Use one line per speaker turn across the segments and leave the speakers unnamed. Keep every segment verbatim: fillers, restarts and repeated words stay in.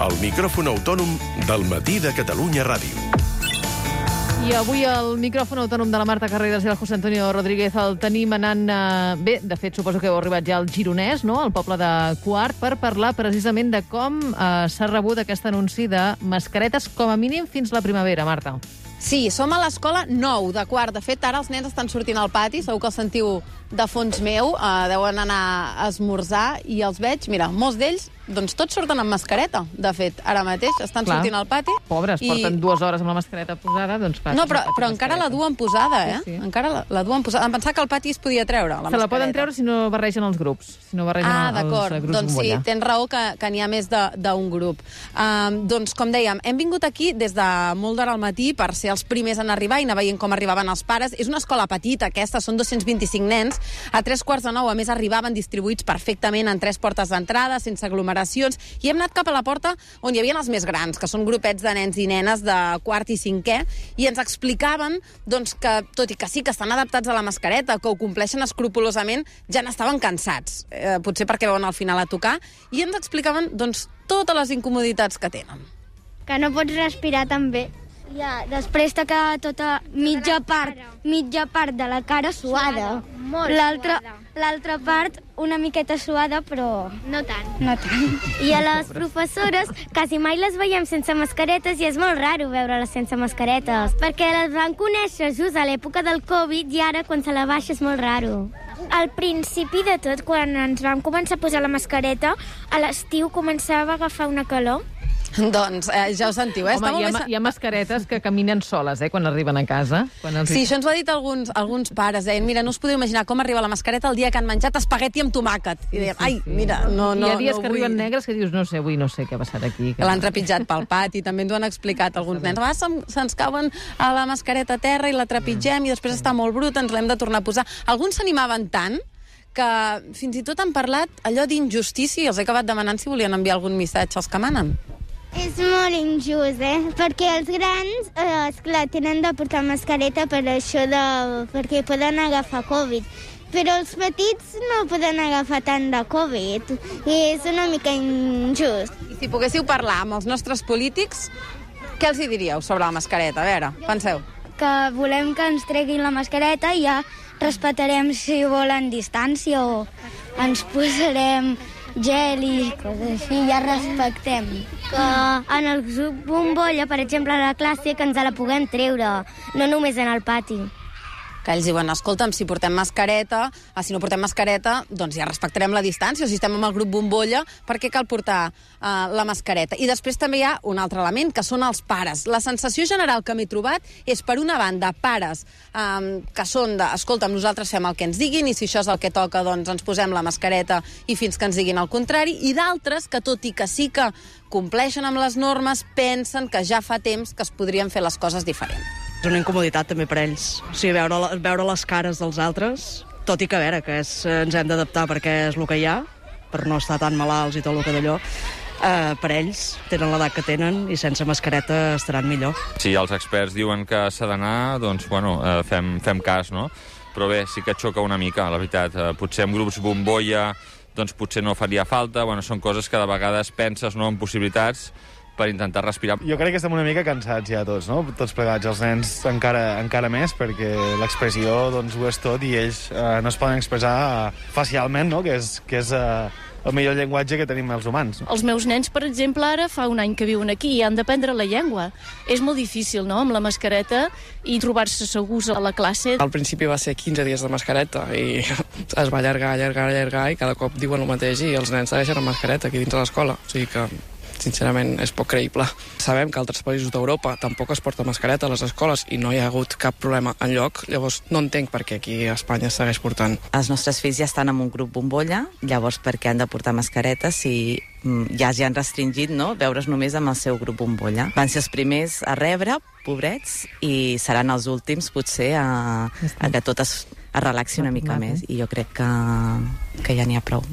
El micròfon autònom del Matí de Catalunya Ràdio.
I avui el micròfon autònom de la Marta Carreras i el José Antonio Rodríguez el tenim anant... Eh, bé, de fet, suposo que heu arribat ja al Gironès, no?, al poble de Quart, per parlar precisament de com eh, s'ha rebut aquest anunci de mascaretes, com a mínim fins la primavera, Marta.
Sí, som a l'escola nou de Quart. De fet, ara els nens estan sortint al pati, segur que el sentiu de fons meu, eh, deuen anar a esmorzar, i els veig, mira, molts d'ells, doncs tots surten amb mascareta, de fet, ara mateix, estan clar. sortint al pati.
Pobres, i... porten dues hores amb la mascareta posada, doncs clar.
No, però, però encara la duen posada, eh? Sí, sí. Encara la, la duen posada. Em pensava que al pati es podia treure, la
Se
mascareta.
la poden treure si no barregen els grups, si no barregen
ah,
els grups. Ah, d'acord,
doncs sí, tens raó que, que n'hi ha més d'un grup. Um, doncs, com dèiem, hem vingut aquí des de molt d'hora al matí per ser els primers en arribar i anar veient com arribaven els pares. És una escola petita, aquesta, són dos-cents vint-i-cinc nens. A tres quarts de nou, a més, arribaven distribuïts perfectament en tres portes d'entrada, sense aglomeracions, i hem anat cap a la porta on hi havia els més grans, que són grupets de nens i nenes de quart i cinquè, i ens explicaven doncs, que, tot i que sí que estan adaptats a la mascareta, que ho compleixen escrupolosament, ja n'estaven cansats, eh, potser perquè veuen al final a tocar, i ens explicaven doncs, totes les incomoditats que tenen.
Que no pots respirar tan bé. Ja, després t'ha quedat tota mitja part, mitja part de la cara suada. L'altra l'altra part una miqueta suada, però...
No tant.
No tant. I a les professores quasi mai les veiem sense mascaretes i és molt raro veure-les sense mascaretes, perquè les van conèixer just a l'època del Covid i ara quan se la baixa és molt raro.
Al principi de tot, quan ens vam començar a posar la mascareta, a l'estiu començava a agafar una calor.
Doncs eh, ja ho sentiu, eh?
Home, hi ha, més... hi ha mascaretes que caminen soles, eh, quan arriben a casa. Quan els...
Sí, això ens ho ha dit alguns, alguns pares. Deien, mira, no us podeu imaginar com arriba la mascareta el dia que han menjat espagueti amb tomàquet. I deien, ai, mira, no, no,
hi ha dies
no
que
vull...
arriben negres que dius, no sé, avui no sé què ha passat aquí.
Que l'han trepitjat pel pati, també ens ho han explicat alguns nens. Ah, se'ns cauen a la mascareta a terra i la trepitgem i després està molt bruta, ens l'hem de tornar a posar. Alguns s'animaven tant que fins i tot han parlat allò d'injustícia i els he acabat demanant si volien enviar algun missatge als que manen.
És molt injust, eh? Perquè els grans, eh, esclar, tenen de portar mascareta per això de... perquè poden agafar Covid. Però els petits no poden agafar tant de Covid. I és una mica injust.
I si poguéssiu parlar amb els nostres polítics, què els hi diríeu sobre la mascareta? A veure, penseu.
Que volem que ens treguin la mascareta i ja respectarem si volen distància o ens posarem gel i coses així, ja respectem. Que en el grup bombolla, per exemple, a la classe, que ens la puguem treure, no només en el pati.
Que ells diuen, escolta'm, si portem mascareta, ah, si no portem mascareta, doncs ja respectarem la distància, o si estem amb el grup bombolla, per què cal portar uh, la mascareta? I després també hi ha un altre element, que són els pares. La sensació general que m'he trobat és, per una banda, pares um, que són de, escolta'm, nosaltres fem el que ens diguin, i si això és el que toca, doncs ens posem la mascareta i fins que ens diguin el contrari, i d'altres que, tot i que sí que compleixen amb les normes, pensen que ja fa temps que es podrien fer les coses diferents.
És una incomoditat també per ells. O sigui, veure, veure les cares dels altres, tot i que a veure, que és, ens hem d'adaptar perquè és el que hi ha, per no estar tan malalts i tot el que d'allò, eh, per ells tenen l'edat que tenen i sense mascareta estaran millor.
Si els experts diuen que s'ha d'anar, doncs, bueno, eh, fem, fem cas, no? Però bé, sí que xoca una mica, la veritat. Eh, potser amb grups bombolla, doncs potser no faria falta. Bueno, són coses que de vegades penses, no?, en possibilitats, per intentar respirar.
Jo crec que estem una mica cansats ja tots, no? Tots plegats, els nens encara, encara més, perquè l'expressió doncs, ho és tot i ells eh, no es poden expressar eh, facialment, no? Que és, que és eh, el millor llenguatge que tenim els humans. No?
Els meus nens, per exemple, ara fa un any que viuen aquí i han d'aprendre la llengua. És molt difícil, no?, amb la mascareta i trobar-se segurs a la classe.
Al principi va ser quinze dies de mascareta i es va allargar, allargar, allargar i cada cop diuen el mateix i els nens segueixen amb mascareta aquí dins de l'escola. O sigui que sincerament, és poc creïble. Sabem que altres països d'Europa tampoc es porta mascareta a les escoles i no hi ha hagut cap problema enlloc, llavors no entenc per què aquí a Espanya es segueix portant.
Els nostres fills ja estan en un grup bombolla, llavors per què han de portar mascaretes si ja ja han restringit, no?, veure's només amb el seu grup bombolla. Van ser els primers a rebre, pobrets, i seran els últims, potser, a, a que tot es, es relaxi una mica més, i jo crec que, que ja n'hi ha prou.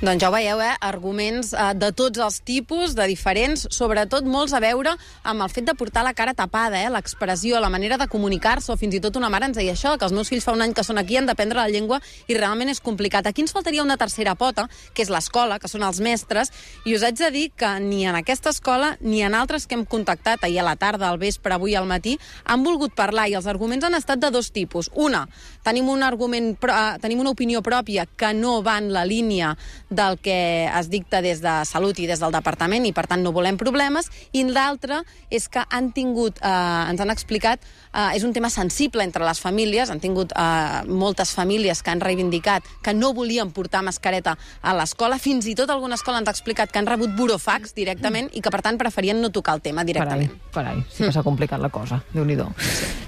Doncs ja ho veieu, eh? Arguments eh, de tots els tipus, de diferents, sobretot molts a veure amb el fet de portar la cara tapada, eh? L'expressió, la manera de comunicar-se, o fins i tot una mare ens deia això, que els meus fills fa un any que són aquí, han d'aprendre la llengua i realment és complicat. Aquí ens faltaria una tercera pota, que és l'escola, que són els mestres, i us haig de dir que ni en aquesta escola ni en altres que hem contactat ahir a la tarda, al vespre, avui al matí, han volgut parlar, i els arguments han estat de dos tipus. Una, tenim un argument, tenim una opinió pròpia que no va en la línia del que es dicta des de Salut i des del Departament, i per tant no volem problemes, i l'altra és que han tingut, eh, ens han explicat, eh, és un tema sensible entre les famílies, han tingut eh, moltes famílies que han reivindicat que no volien portar mascareta a l'escola, fins i tot alguna escola ens ha explicat que han rebut burofax directament i que per tant preferien no tocar el tema directament.
Carai, carai, sí que s'ha complicat la cosa, Déu-n'hi-do.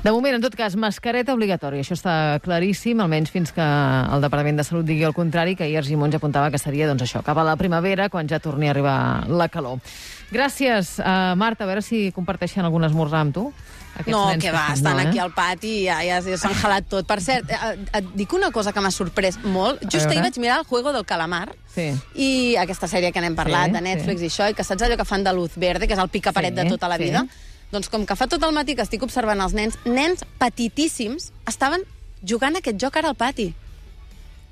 De moment, en tot cas, mascareta obligatòria, això està claríssim, almenys fins que el Departament de Salut digui el contrari, que ahir Argimon ja apuntava que seria, doncs això, cap a la primavera, quan ja torni a arribar la calor. Gràcies, uh, Marta, a veure si comparteixen algun esmorzar amb tu.
No, que va,
que
estan
no, eh?
aquí al pati i ja, ja, ja s'han jalat tot. Per cert, et, et dic una cosa que m'ha sorprès molt. Just ahir vaig mirar el Juego del Calamar,
sí.
I aquesta sèrie que n'hem parlat, sí, de Netflix sí. I això, i que saps allò que fan de Luz Verde, que és el picaparet sí, de tota la vida? Sí. Doncs com que fa tot el matí que estic observant els nens, nens petitíssims estaven jugant aquest joc ara al pati.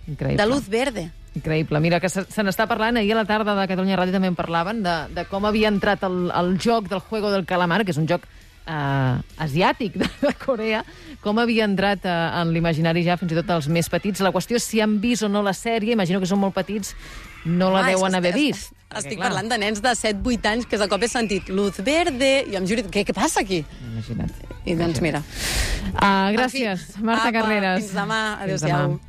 Increïble.
De Luz Verde.
Increïble. Mira, que se, se n'està parlant, ahir a la tarda de Catalunya Ràdio també en parlaven, de, de com havia entrat el, el joc del Juego del Calamar, que és un joc eh, asiàtic de, de Corea, com havia entrat eh, en l'imaginari ja fins i tot els més petits. La qüestió és si han vist o no la sèrie, imagino que són molt petits, no la ah, deuen haver vist.
Estic perquè, parlant de nens de set vuit anys que de cop he sentit Luz Verde i em juro, què, què passa aquí?
Imagina't.
I doncs mira.
Uh, gràcies, fi, Marta
apa,
Carreras.
Fins demà. Adéu-siau.